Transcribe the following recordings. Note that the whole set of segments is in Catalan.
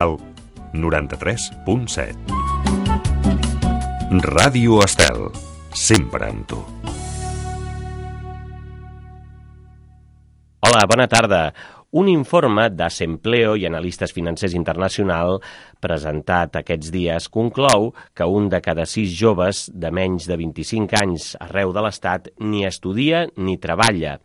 El 93.7. Ràdio Estel, sempre amb tu. Hola, bona tarda. Un informe d'Assempleo i Analistes Financers Internacional presentat aquests dies conclou que un de cada 6 joves de menys de 25 anys arreu de l'Estat ni estudia ni treballa,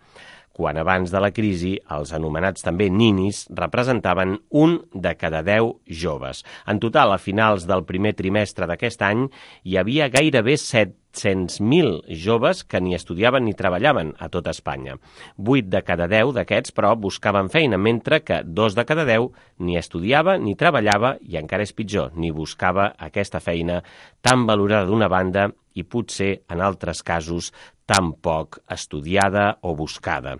quan abans de la crisi els anomenats també ninis representaven un de cada 10 joves. En total, a finals del primer trimestre d'aquest any, hi havia gairebé 700.000 joves que ni estudiaven ni treballaven a tot Espanya. 8 de cada 10 d'aquests, però, buscaven feina, mentre que 2 de cada 10 ni estudiava ni treballava i, encara és pitjor, ni buscava aquesta feina tan valorada d'una banda i potser, en altres casos, tan poc estudiada o buscada.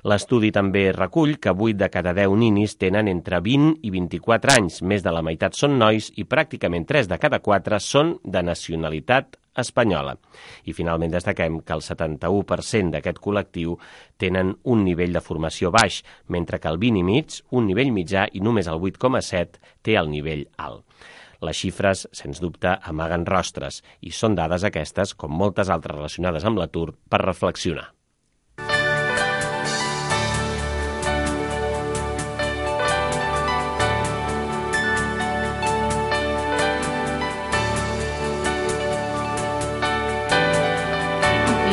L'estudi també recull que 8 de cada 10 ninis tenen entre 20 i 24 anys, més de la meitat són nois i pràcticament 3 de cada 4 són de nacionalitat espanyola. I finalment destaquem que el 71% d'aquest col·lectiu tenen un nivell de formació baix, mentre que el 20,5, un nivell mitjà, i només el 8,7 té el nivell alt. Les xifres, sens dubte, amaguen rostres, i són dades aquestes, com moltes altres relacionades amb l'atur, per reflexionar.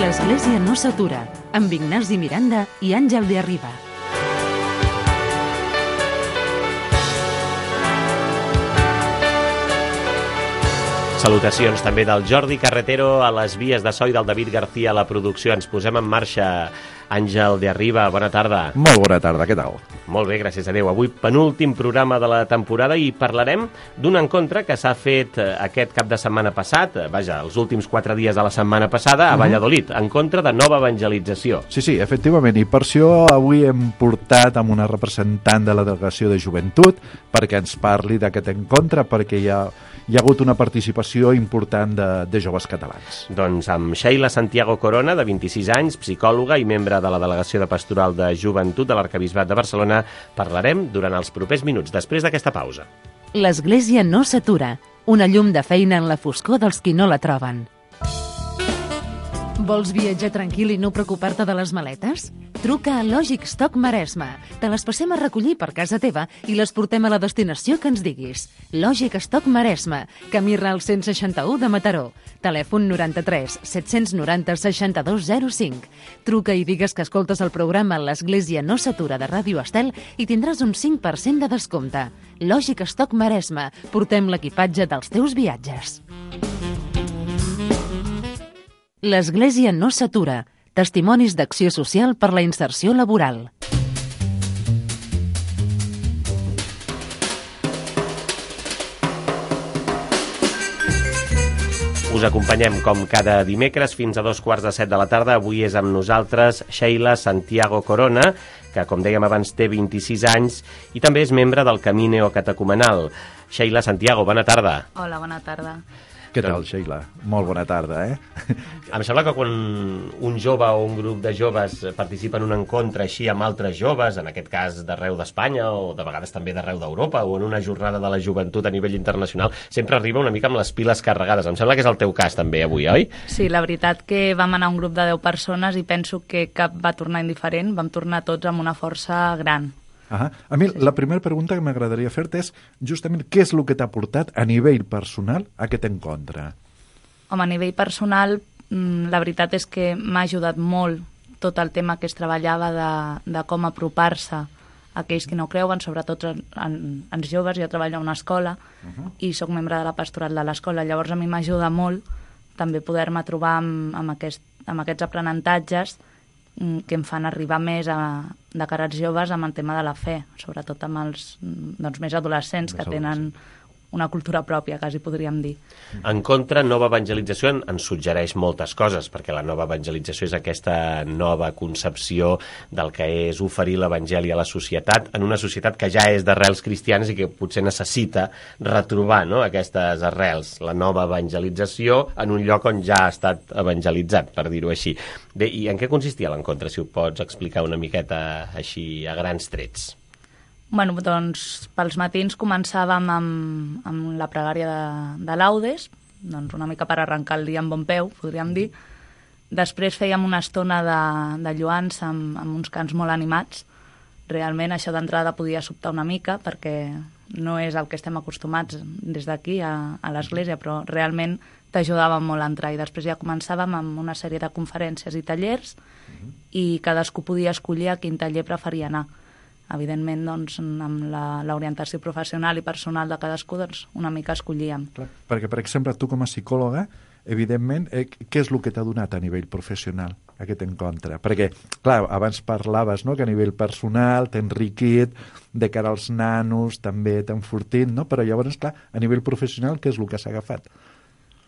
L'Església no s'atura, amb Ignasi Miranda i Àngel de Arriba. Salutacions també del Jordi Carretero a les vies de so i del David García a la producció. Ens posem en marxa. Àngel de Arriba, bona tarda. Molt bona tarda, què tal? Molt bé, gràcies a Déu. Avui penúltim programa de la temporada i parlarem d'un encontre que s'ha fet aquest cap de setmana passat, els últims 4 dies de la setmana passada a Valladolid, encontre de nova evangelització. Sí, efectivament, i per això avui hem portat amb una representant de la Delegació de Joventut perquè ens parli d'aquest encontre, perquè hi ha hagut una participació important de joves catalans. Doncs amb Sheila Santiago Corona, de 26 anys, psicòloga i membre de la Delegació de Pastoral de Joventut de l'Arquebisbat de Barcelona, parlarem durant els propers minuts, després d'aquesta pausa. L'Església no s'atura, una llum de feina en la foscor dels qui no la troben. Vols viatjar tranquil i no preocupar-te de les maletes? Truca a Lògic Stock Maresme. Te les passem a recollir per casa teva i les portem a la destinació que ens diguis. Lògic Stock Maresme, camí Ral 161 de Mataró. Telèfon 93 790 6205. Truca i digues que escoltes el programa L'Església no s'atura de Ràdio Estel i tindràs un 5% de descompte. Lògic Stock Maresme. Portem l'equipatge dels teus viatges. L'Església no s'atura. Testimonis d'acció social per la inserció laboral. Us acompanyem com cada dimecres fins a 2:15 de la tarda. Avui és amb nosaltres Sheila Santiago Corona, que, com dèiem abans, té 26 anys i també és membre del Camí Neocatecumenal. Sheila Santiago, bona tarda. Hola, bona tarda. Què tal, Sheila? Molt bona tarda, Em sembla que quan un jove o un grup de joves participa en un encontre així amb altres joves, en aquest cas d'arreu d'Espanya o de vegades també d'arreu d'Europa o en una jornada de la joventut a nivell internacional, sempre arriba una mica amb les piles carregades. Em sembla que és el teu cas també avui, oi? Sí, la veritat que vam anar un grup de 10 persones i penso que cap va tornar indiferent, vam tornar tots amb una força gran. A mi la primera pregunta que m'agradaria fer-te és justament què és el que t'ha portat a nivell personal a aquest encontre? Home, a nivell personal, la veritat és que m'ha ajudat molt tot el tema que es treballava de com apropar-se a aquells que no creuen, sobretot ens joves. Jo treballo a una escola i sóc membre de la pastoral de l'escola, llavors a mi m'ajuda molt també poder-me trobar amb aquests aprenentatges que em fan arribar més de cara als joves amb el tema de la fe, sobretot amb els més adolescents que tenen una cultura pròpia, quasi podríem dir. En contra, nova evangelització ens suggereix moltes coses, perquè la nova evangelització és aquesta nova concepció del que és oferir l'evangeli a la societat, en una societat que ja és d'arrels cristianes i que potser necessita retrobar, no?, aquestes arrels, la nova evangelització en un lloc on ja ha estat evangelitzat, per dir-ho així. Bé, i en què consistia l'encontre, si ho pots explicar una miqueta així a grans trets? Bueno, doncs pels matins començàvem amb la pregària de laudes, doncs una mica per arrencar el dia amb bon peu, podríem dir. Després fèiem una estona de lloança amb uns cants molt animats. Realment això d'entrada podia sobtar una mica perquè no és el que estem acostumats des d'aquí a l'església, però realment t'ajudava molt a entrar. I després ja començàvem amb una sèrie de conferències i tallers i cadascú podia escollir a quin taller preferia anar. Evidentment, doncs, amb l'orientació professional i personal de cadascú, doncs, una mica escollíem. Clar, perquè, per exemple, tu com a psicòloga, evidentment, què és el que t'ha donat a nivell professional aquest encontre? Perquè, clar, abans parlaves, no?, que a nivell personal t'ha enriquit, de cara als nanos també t'ha enfortit, no? Però llavors, clar, a nivell professional, què és el que s'ha agafat?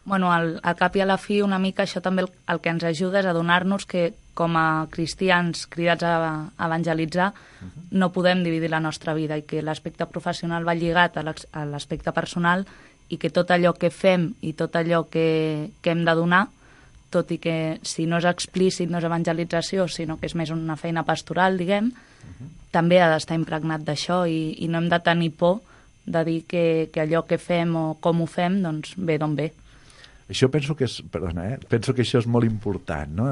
Bueno, al cap i a la fi, una mica això també el que ens ajuda és a donar-nos que, com a cristians cridats a evangelitzar, no podem dividir la nostra vida i que l'aspecte professional va lligat a l'aspecte personal i que tot allò que fem i tot allò que hem de donar, tot i que si no és explícit, no és evangelització, sinó que és més una feina pastoral, diguem, també ha d'estar impregnat d'això i no hem de tenir por de dir que allò que fem o com ho fem, doncs ve d'on ve. Això penso que és, penso que això és molt important, no?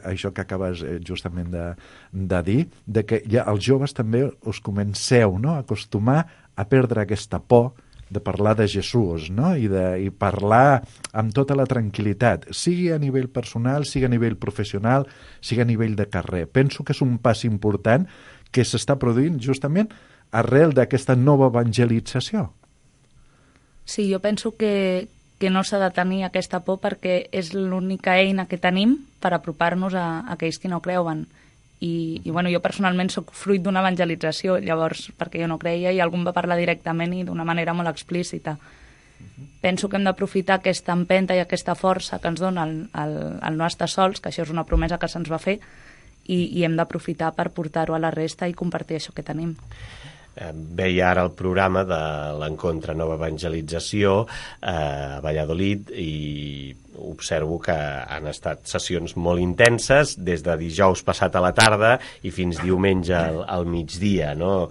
Això que acabes justament de dir, de que ja els joves també us comenceu, no?, a acostumar a perdre aquesta por de parlar de Jesús, no?, i parlar amb tota la tranquil·litat, sigui a nivell personal, sigui a nivell professional, sigui a nivell de carrer. Penso que és un pas important que s'està produint justament arrel d'aquesta nova evangelització. Sí, jo penso que no s'ha de tenir aquesta por perquè és l'única eina que tenim per apropar-nos a aquells que no creuen. I bueno, jo personalment sóc fruit d'una evangelització, llavors, perquè jo no creia i algú em va parlar directament i d'una manera molt explícita. Penso que hem d'aprofitar aquesta empenta i aquesta força que ens dona el no estar sols, que això és una promesa que se'ns va fer, i hem d'aprofitar per portar-ho a la resta i compartir això que tenim. Veia ara el programa de l'Encontre Nova Evangelització a Valladolid i observo que han estat sessions molt intenses des de dijous passat a la tarda i fins diumenge al migdia, no?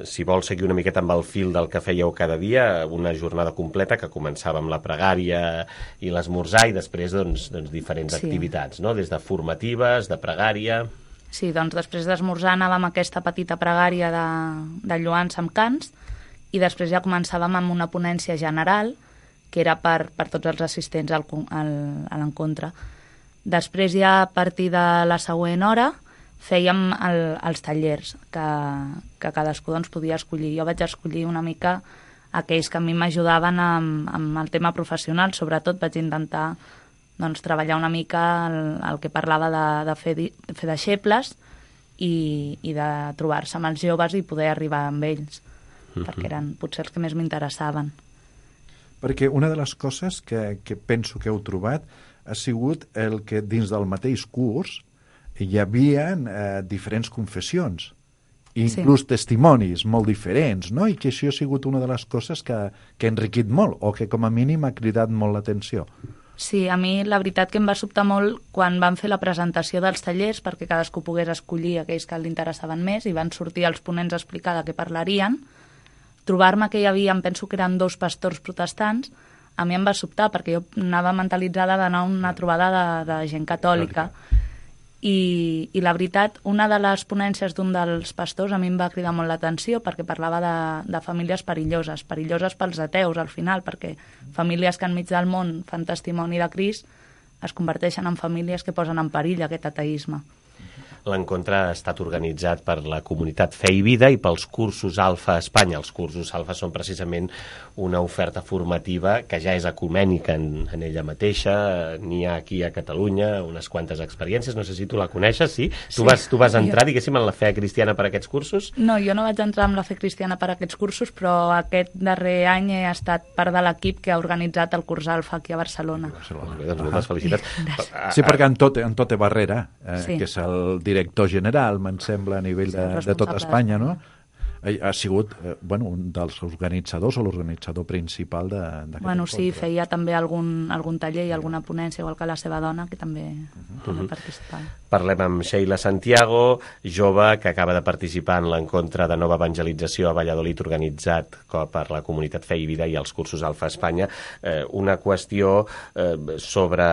Si vols seguir una miqueta amb el fil del que fèieu cada dia, una jornada completa que començava amb la pregària i l'esmorzar i després doncs diferents activitats, no? Des de formatives, de pregària. Sí, doncs després d'esmorzar anàvem a aquesta petita pregària de lloança amb cants i després ja començàvem amb una ponència general que era per tots els assistents a l'encontre. Després ja a partir de la següent hora fèiem els tallers que cadascú doncs, podia escollir. Jo vaig escollir una mica aquells que a mi m'ajudaven amb el tema professional, sobretot vaig intentar doncs, treballar una mica el que parlava de fer deixebles i de trobar-se amb els joves i poder arribar amb ells, perquè eren potser els que més m'interessaven. Perquè una de les coses que penso que heu trobat ha sigut el que dins del mateix curs hi havia diferents confessions, inclús testimonis molt diferents, no? I que això ha sigut una de les coses que ha enriquit molt o que com a mínim ha cridat molt l'atenció. Sí, a mi la veritat que em va sobtar molt quan van fer la presentació dels tallers perquè cadascú pogués escollir aquells que l'interessaven més i van sortir els ponents a explicar de què parlarien. Trobar-me que hi havia, em penso que eren 2 pastors protestants, a mi em va sobtar perquè jo anava mentalitzada d'anar a una trobada de gent catòlica. I la veritat, una de les ponències d'un dels pastors a mi em va cridar molt l'atenció perquè parlava de famílies perilloses pels ateus al final, perquè famílies que enmig del món fan testimoni de Crist es converteixen en famílies que posen en perill aquest ateisme. L'encontre ha estat organitzat per la comunitat Fe i Vida i pels cursos Alfa a Espanya. Els cursos Alfa són precisament una oferta formativa que ja és ecumènica en ella mateixa. N'hi ha aquí a Catalunya unes quantes experiències. No sé si tu la coneixes, sí? Tu vas entrar, diguéssim, en la fe cristiana per aquests cursos? No, jo no vaig entrar en la fe cristiana per aquests cursos, però aquest darrer any he estat part de l'equip que ha organitzat el curs Alfa aquí a Barcelona. Doncs moltes felicitats. Sí, perquè en Tote Barrera, que és el director general, me'n sembla, a nivell de tot Espanya, no? ha sigut un dels organitzadors o l'organitzador principal d'aquest encontre. Sí, feia també algun taller i alguna ponència, igual que la seva dona, que també participava. Parlem amb Sheila Santiago, jove que acaba de participar en l'encontre de nova evangelització a Valladolid organitzat per la comunitat Fe i Vida i els cursos Alfa Espanya. Una qüestió sobre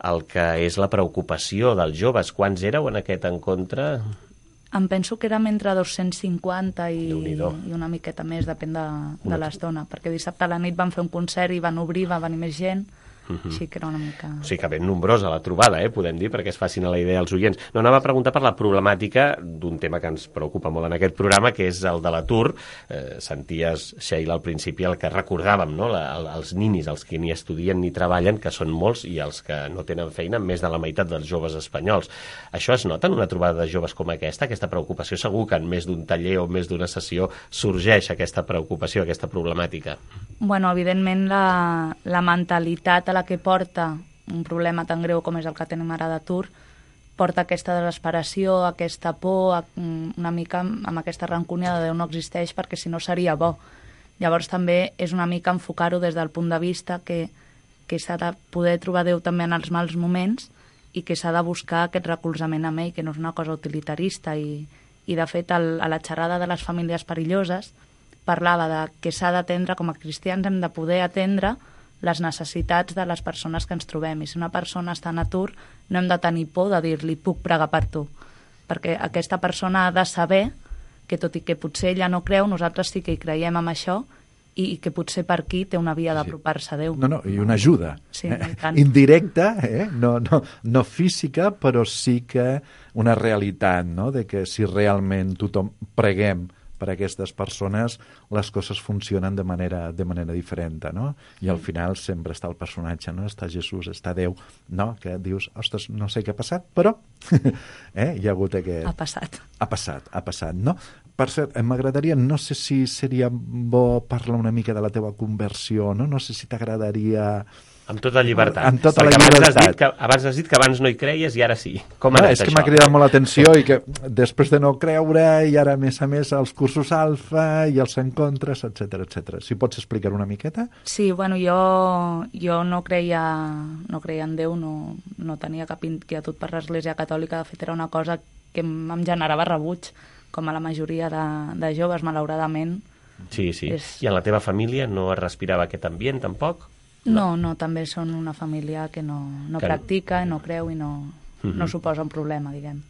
el que és la preocupació dels joves. Quants éreu en aquest encontre? Em penso que érem entre 250 i una miqueta més, depèn de l'estona, perquè dissabte a la nit van fer un concert i van obrir, va venir més gent, així que era una mica... O sigui que ben nombrosa la trobada, podem dir, perquè es facin a la idea els oients. No, anava a preguntar per la problemàtica d'un tema que ens preocupa molt en aquest programa, que és el de l'atur. Senties, Sheila, al principi el que recordàvem, no? Els ninis, els que ni estudien ni treballen, que són molts, i els que no tenen feina, més de la meitat dels joves espanyols. Això es nota en una trobada de joves com aquesta preocupació? Segur que en més d'un taller o més d'una sessió sorgeix aquesta preocupació, aquesta problemàtica. Bueno, evidentment la mentalitat a la que porta un problema tan greu com és el que tenim ara d'atur porta aquesta desesperació, aquesta por, una mica amb aquesta rancúnia de Déu no existeix perquè si no seria bo. Llavors també és una mica enfocar-ho des del punt de vista que s'ha de poder trobar Déu també en els mals moments i que s'ha de buscar aquest recolzament amb ell, que no és una cosa utilitarista i de fet a la xerrada de les famílies perilloses parlava de que s'ha d'atendre, com a cristians hem de poder atendre les necessitats de les persones que ens trobem. I si una persona està en atur, no hem de tenir por de dir-li puc pregar per tu, perquè aquesta persona ha de saber que tot i que potser ella no creu, nosaltres sí que hi creiem amb això i que potser per aquí té una via d'apropar-se a Déu. No, i una ajuda. Sí, indirecta, no física, però sí que una realitat, no? De que si realment tothom preguem per a aquestes persones, les coses funcionen de manera diferent, no? I al final sempre està el personatge, no? Està Jesús, està Déu, no? Que dius, ostres, no sé què ha passat, però hi ha hagut aquest... Ha passat, no? Per cert, m'agradaria, no sé si seria bo parlar una mica de la teva conversió, no? No sé si t'agradaria... Amb tota llibertat. Amb tota la llibertat. Abans has dit que abans no hi creies i ara sí. Com ha anat això? És que m'ha cridat molt l'atenció i que després de no creure i ara a més els cursos alfa i els encontres, etc. Si pots explicar una miqueta? Sí, bueno, jo no creia en Déu, no tenia cap inquietud per l'Església Catòlica, de fet era una cosa que em generava rebuig, com a la majoria de joves, malauradament. Sí. I en la teva família no es respirava aquest ambient, tampoc? No, també són una família que no practica, no creu i no suposa un problema, diguem.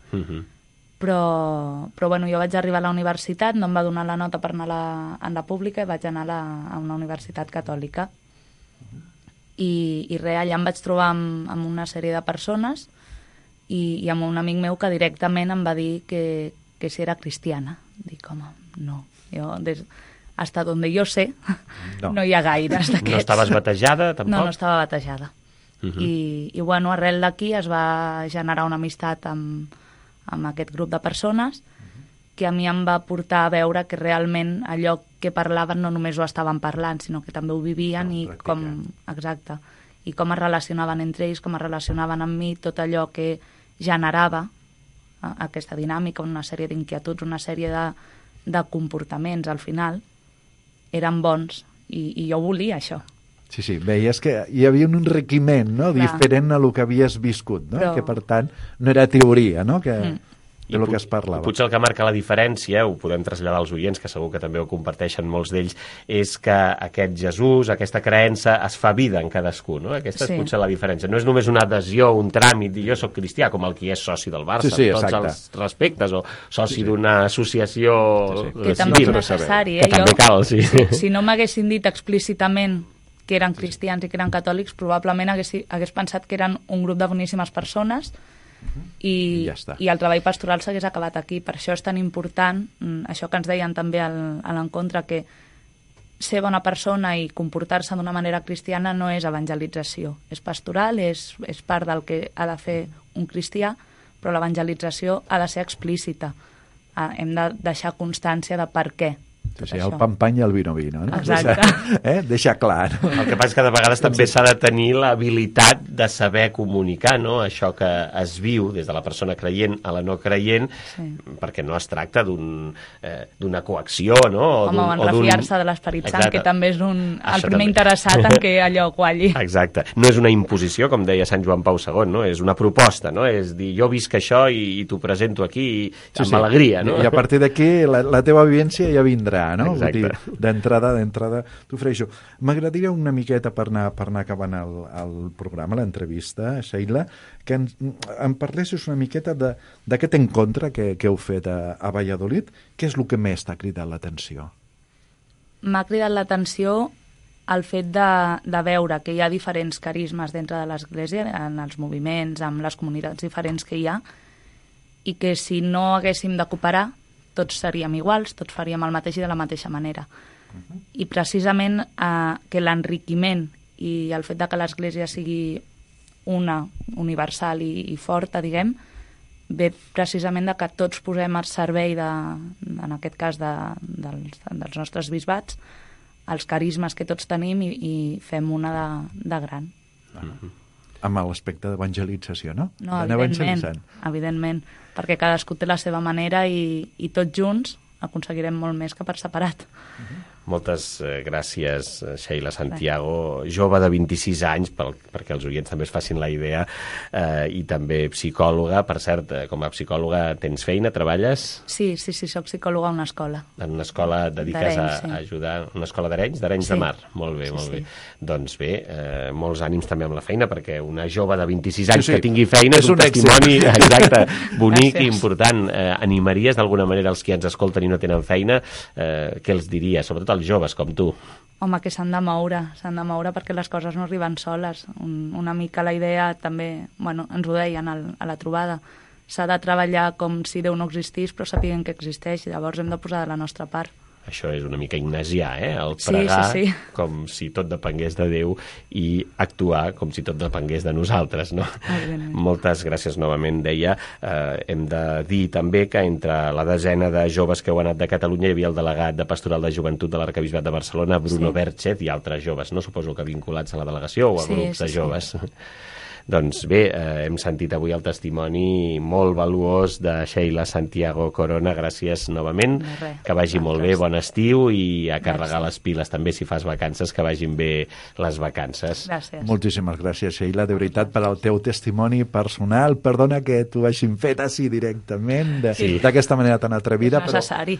Però bueno, jo vaig arribar a la universitat, no em va donar la nota per anar a la pública i vaig anar a una universitat catòlica. I res, allà em vaig trobar amb una sèrie de persones i amb un amic meu que directament em va dir que si era cristiana. Dic, home, no. Jo, hasta donde yo sé, no hi ha gaires d'aquests. No estaves batejada, tampoc? No estava batejada. I bueno, arrel d'aquí es va generar una amistat amb aquest grup de persones que a mi em va portar a veure que realment allò que parlaven no només ho estaven parlant, sinó que també ho vivien i com es relacionaven entre ells, com es relacionaven amb mi, tot allò que generava aquesta dinàmica, una sèrie d'inquietuds, una sèrie de comportaments al final, eren bons i jo volia això. Sí, veies que hi havia un enriquiment, no? Diferent a lo que havies viscut, no? Que per tant no era teoria, no? De lo que es parlava. Potser el que marca la diferència, ho podem traslladar als oients, que segur que també ho comparteixen molts d'ells, és que aquest Jesús, aquesta creença, es fa vida en cadascú, no? Aquesta és potser la diferència. No és només una adhesió, un tràmit, dir jo soc cristià, com el que és soci del Barça, amb tots els respectes, o soci d'una associació que també és necessari, que també cal, Si no m'haguessin dit explícitament que eren cristians i que eren catòlics, probablement hagués pensat que eren un grup de boníssimes persones i el treball pastoral s'hagués acabat aquí. Per això és tan important això que ens deien també a l'encontre, que ser bona persona i comportar-se d'una manera cristiana no és evangelització, és pastoral, és part del que ha de fer un cristià, però l'evangelització ha de ser explícita, hem de deixar constància de per què Sí, el pampany i el vino, no? Exacte. Deixar clar, no? El que passa és que de vegades també s'ha de tenir l'habilitat de saber comunicar, no? Això que es viu des de la persona creient a la no creient, perquè no es tracta d'una coacció, no? Home, en refiar-se de l'Esperit Sant, que també és el primer interessat en que allò qualli. Exacte. No és una imposició, com deia Sant Joan Pau II, no? És una proposta, no? És dir, jo visc això i t'ho presento aquí amb alegria, no? I a partir d'aquí la teva vivència ja vindrà, no? Exacte. Vull dir, d'entrada t'ofereixo. M'agradaria una miqueta per anar acabant el programa, l'entrevista, Sheila, que em parlessis una miqueta d'aquest encontre que heu fet a Valladolid. Què és el que més t'ha cridat l'atenció? M'ha cridat l'atenció el fet de veure que hi ha diferents carismes dintre de l'Església, en els moviments, amb les comunitats diferents que hi ha, i que si no haguéssim de cooperar, tots seríem iguals, tots faríem el mateix i de la mateixa manera. I precisament que l'enriquiment i el fet de que l'Església sigui una, universal i forta, diguem, ve precisament de que tots posem al servei, en aquest cas dels nostres bisbats, els carismes que tots tenim i fem una de gran. Amb l'aspecte d'evangelització, no? No, evidentment, perquè cadascú té la seva manera i tots junts aconseguirem molt més que per separat. Moltes gràcies, Sheila Santiago, jove de 26 anys, perquè els oients també es facin la idea, i també psicòloga. Per cert, com a psicòloga tens feina, treballes? Sí, soc psicòloga a una escola. En una escola dediques a ajudar... Una escola d'Arenys? D'Arenys de Mar? Molt bé, molt bé. Doncs bé, molts ànims també amb la feina, perquè una jove de 26 anys que tingui feina és un testimoni exacte, bonic i important. Animaries d'alguna manera els que ens escolten i no tenen feina? Què els diries? Sobretot els joves com tu. Home, que s'han de moure perquè les coses no arriben soles. Una mica la idea també, ens ho deien a la trobada, s'ha de treballar com si Déu no existís, però sapiguem que existeix, i llavors hem de posar de la nostra part. Això és una mica ignasià, el pregar com si tot depengués de Déu i actuar com si tot depengués de nosaltres, no? Moltes gràcies novament, deia. Hem de dir també que entre la desena de joves que heu anat de Catalunya hi havia el delegat de Pastoral de Joventut de l'Arquebisbat de Barcelona, Bruno Berchet, i altres joves, no? Suposo que vinculats a la delegació o a grups de joves. Doncs bé, hem sentit avui el testimoni molt valuós de Sheila Santiago Corona. Gràcies novament, que vagi molt bé, bon estiu, i a carregar les piles també si fas vacances, que vagin bé les vacances. Gràcies. Moltíssimes gràcies, Sheila, de veritat, per al teu testimoni personal. Perdona que t'ho hagin fet així directament, d'aquesta manera tan atrevida. És necessari.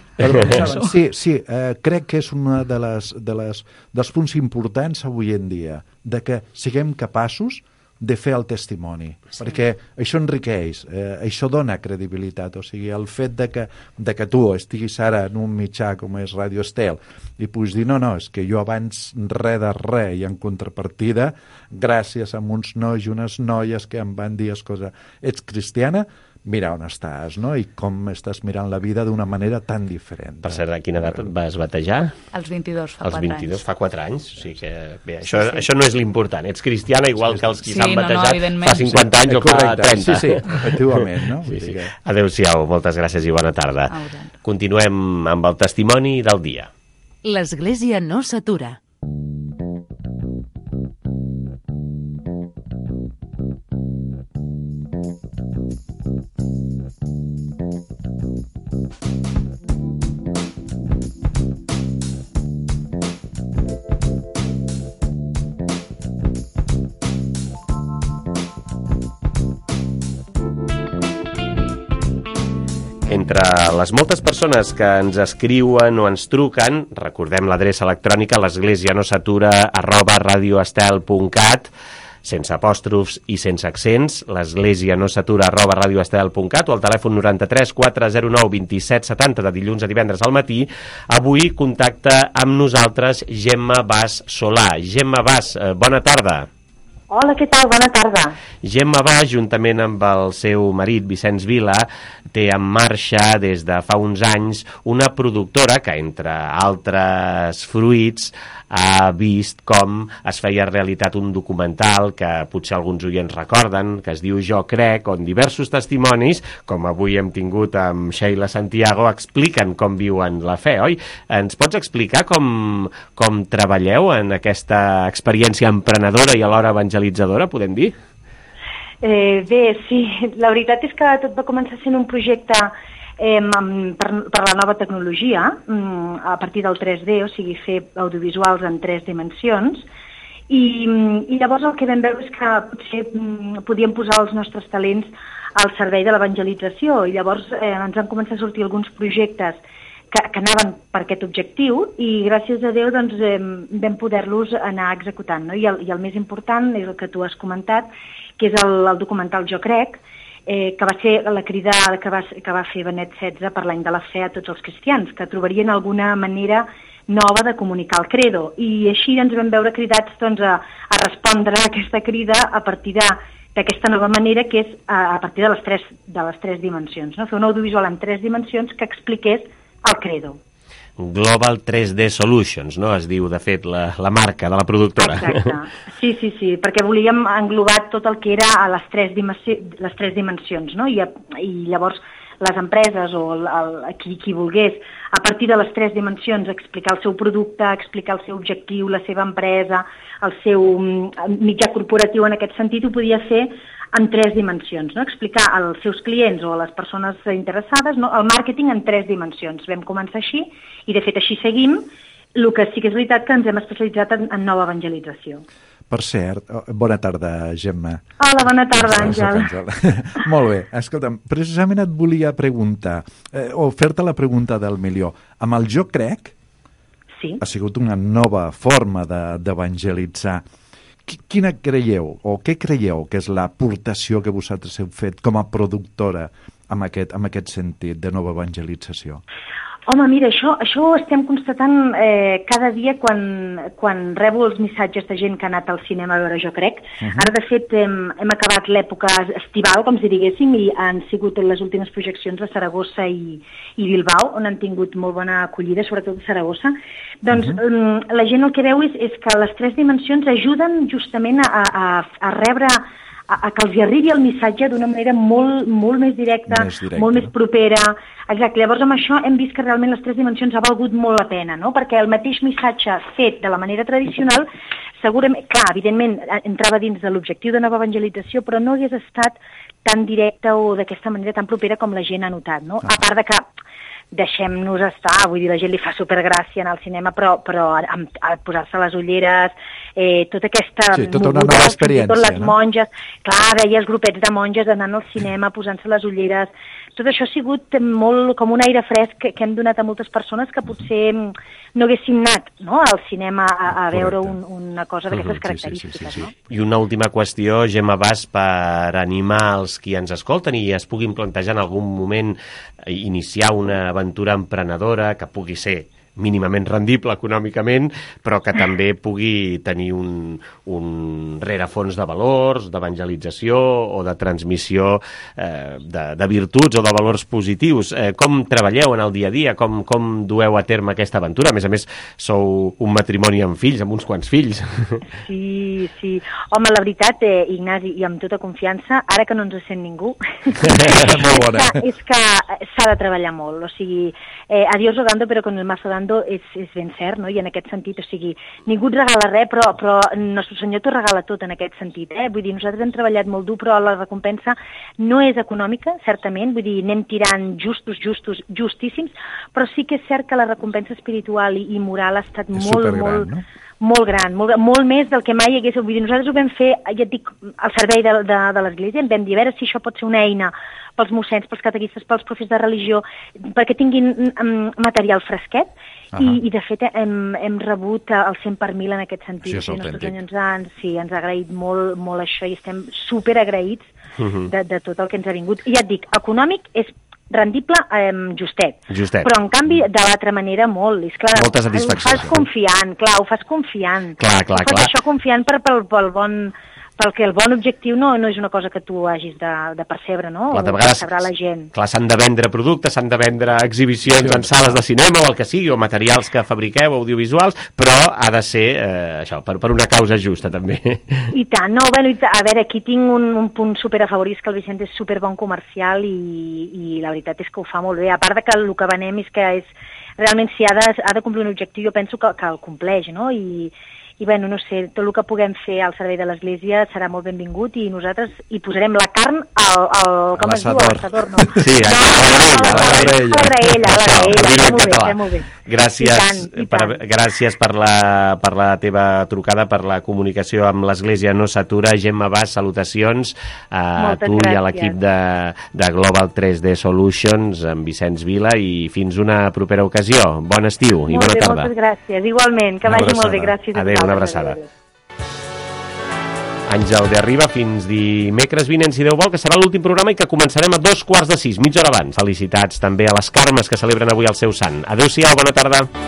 Sí, crec que és un dels punts importants avui en dia, de que siguem capaços de fer el testimoni, perquè això enriqueix, això dona credibilitat, o sigui, el fet de que tu estiguis ara en un mitjà com és Radio Estel i puguis dir, no, és que jo abans res de res, i en contrapartida, gràcies a uns nois i unes noies que em van dir, escolta, ets cristiana? Mira on estàs, no? I com estàs mirant la vida d'una manera tan diferent. Per cert, a quina edat et vas batejar? Als 22, fa 4 anys. Als 22, fa 4 anys? O sigui que, bé, això no és l'important. Ets cristiana igual que els qui s'han batejat fa 50 anys o fa 30. Sí, efectivament, no? Adéu-siau, moltes gràcies i bona tarda. Continuem amb el testimoni del dia. L'Església no s'atura. Entre les moltes persones que ens escriuen o ens truquen, recordem l'adreça electrònica l'esglésianosatura@radioestel.cat, sense apòstrofs i sense accents, l'esglésianosatura@radioestel.cat, o al telèfon 93 409 27 70 de dilluns a divendres al matí. Avui contacta amb nosaltres Gemma Bas Solà. Gemma Bas, bona tarda. Hola, què tal? Bona tarda. Gemma Bas, juntament amb el seu marit Vicenç Vila, té en marxa des de fa uns anys una productora que, entre altres fruits, ha vist com es feia realitat un documental que potser alguns oients recorden, que es diu Jo crec, on diversos testimonis, com avui hem tingut amb Sheila Santiago, expliquen com viuen la fe, oi? Ens pots explicar com treballeu en aquesta experiència emprenedora i alhora evangelitzadora, podem dir? Bé, sí, la veritat és que tot va començar sent un projecte per la nova tecnologia, a partir del 3D, o sigui, fer audiovisuals en 3 dimensions, i llavors el que vam veure és que potser podíem posar els nostres talents al servei de l'evangelització, i llavors ens van començar a sortir alguns projectes que anaven per aquest objectiu, i gràcies a Déu doncs, vam poder-los anar executant, no? I el més important és el que tu has comentat, que és el documental Jo crec, que va ser la crida que va fer Benet XVI per l'any de la fe a tots els cristians, que trobarien alguna manera nova de comunicar el credo. I així ens vam veure cridats doncs, a respondre a aquesta crida a partir d'aquesta nova manera, que és a partir de les tres dimensions. No? Fer un audiovisual en 3 dimensions que expliqués el credo. Global 3D Solutions, no? Es diu, de fet, la marca de la productora. Exacte. Sí, perquè volíem englobar tot el que era a les 3 dimensions, no? I llavors les empreses o qui volgués, a partir de les 3 dimensions, explicar el seu producte, explicar el seu objectiu, la seva empresa, el seu mitjà corporatiu en aquest sentit, ho podia fer en 3 dimensions, no? Explicar als seus clients o a les persones interessades, no? El màrqueting en 3 dimensions. Vam començar així i de fet així seguim, el que sí que és veritat que ens hem especialitzat en nova evangelització. Per cert, bona tarda, Gemma. Hola, bona tarda, Àngel. Molt bé, escolta'm, precisament et volia preguntar, o fer-te la pregunta del milió. Amb el Jo crec, sí, ha sigut una nova forma d'evangelitzar. Quina creieu, o què creieu que és l'aportació que vosaltres heu fet com a productora en aquest sentit de nova evangelització? Home, mira, això ho estem constatant cada dia quan rebo els missatges de gent que ha anat al cinema a veure Jo crec. Ara, de fet, hem acabat l'època estival, com si diguéssim, i han sigut les últimes projeccions a Saragossa i Bilbao, on han tingut molt bona acollida, sobretot a Saragossa. Doncs la gent el que veu és que les 3 dimensions ajuden justament a rebre, a que els arribi el missatge d'una manera molt més directa, molt més propera. Exacte, llavors amb això hem vist que realment les 3 dimensions ha valgut molt la pena, no? Perquè el mateix missatge fet de la manera tradicional, segurament, clar, evidentment, entrava dins de l'objectiu de nova evangelització, però no hagués estat tan directe o d'aquesta manera tan propera com la gent ha notat, no? A part de que deixem-nos estar, vull dir, la gent li fa supergràcia anar al cinema, però al posar-se les ulleres, tota aquesta... Sí, tota una nova experiència, tot les monges, clar, veia els grupets de monges anant al cinema, posant-se les ulleres, tot això ha sigut molt com un aire fresc que hem donat a moltes persones que potser no haguessin anat, no?, al cinema a veure una cosa d'aquestes característiques. Sí. No? I una última qüestió, Gemma Bas, per animar els qui ens escolten i es puguin plantejar en algun moment iniciar una aventura emprenedora que pugui ser mínimament rendible econòmicament, però que també pugui tenir un rerefons de valors, d'evangelització o de transmissió de virtuts o de valors positius. Com treballeu en el dia a dia? Com dueu a terme aquesta aventura? A més, sou un matrimoni amb fills, amb uns quants fills. Sí. Home, la veritat, Ignasi, i amb tota confiança, ara que no ens sent ningú, molt bona. és que s'ha de treballar molt. O sigui, a Dios rogando, però con el mazo dando és ben cert, no? I en aquest sentit, o sigui, ningú et regala res, però Nostre Senyor t'ho regala tot en aquest sentit, Vull dir, nosaltres hem treballat molt dur, però la recompensa no és econòmica, certament, vull dir, anem tirant justíssims, però sí que és cert que la recompensa espiritual i moral ha estat molt gran, molt més del que mai hagués... Vull dir, nosaltres ho vam fer, ja et dic, al servei de l'Església, em vam dir a veure si això pot ser una eina pels mossens, pels catequistes, pels profes de religió, perquè tinguin material fresquet, i de fet hem rebut el 100 per 1000 en aquest sentit. Sí, és autèntic. Ens ha agraït molt això i estem superagraïts de tot el que ens ha vingut. I ja et dic, econòmic és rendible, justet. Però en canvi de l'altra manera molt. És clar, molta satisfacció. Ho fas confiant. Clar. Ho fas això confiant pel perquè el bon objectiu no és una cosa que tu hagis de percebre, no? Clar, de o vegades, percebre la gent. clar, s'han de vendre productes, s'han de vendre exhibicions en sales de cinema o el que sigui, o materials que fabriqueu, audiovisuals, però ha de ser això, per una causa justa, també. I tant, no, bueno, a veure, aquí tinc un punt super a favor, és que el Vicent és super bon comercial i la veritat és que ho fa molt bé, a part de que el que venem és que realment si ha de complir un objectiu, jo penso que el compleix, no? I bueno, no sé, tot el que puguem fer al servei de l'Església serà molt benvingut i nosaltres hi posarem la carn com es diu? A l'assador, no? Sí, a la graella. Molt bé. Gràcies per la teva trucada, per la comunicació amb l'Església No S'Atura. Gemma Bas, salutacions a tu i a l'equip de Global 3D Solutions, amb Vicenç Vila, i fins una propera ocasió. Bon estiu i bona tarda. Moltes gràcies, igualment, que vagi molt bé, gràcies. Adéu, una abraçada. Àngel de Arriba, fins dimecres vinent, si Déu vol, que serà l'últim programa i que començarem a 5:45, mitja hora abans. Felicitats també a les Carmes que celebren avui el seu sant. Adéu-siau, bona tarda.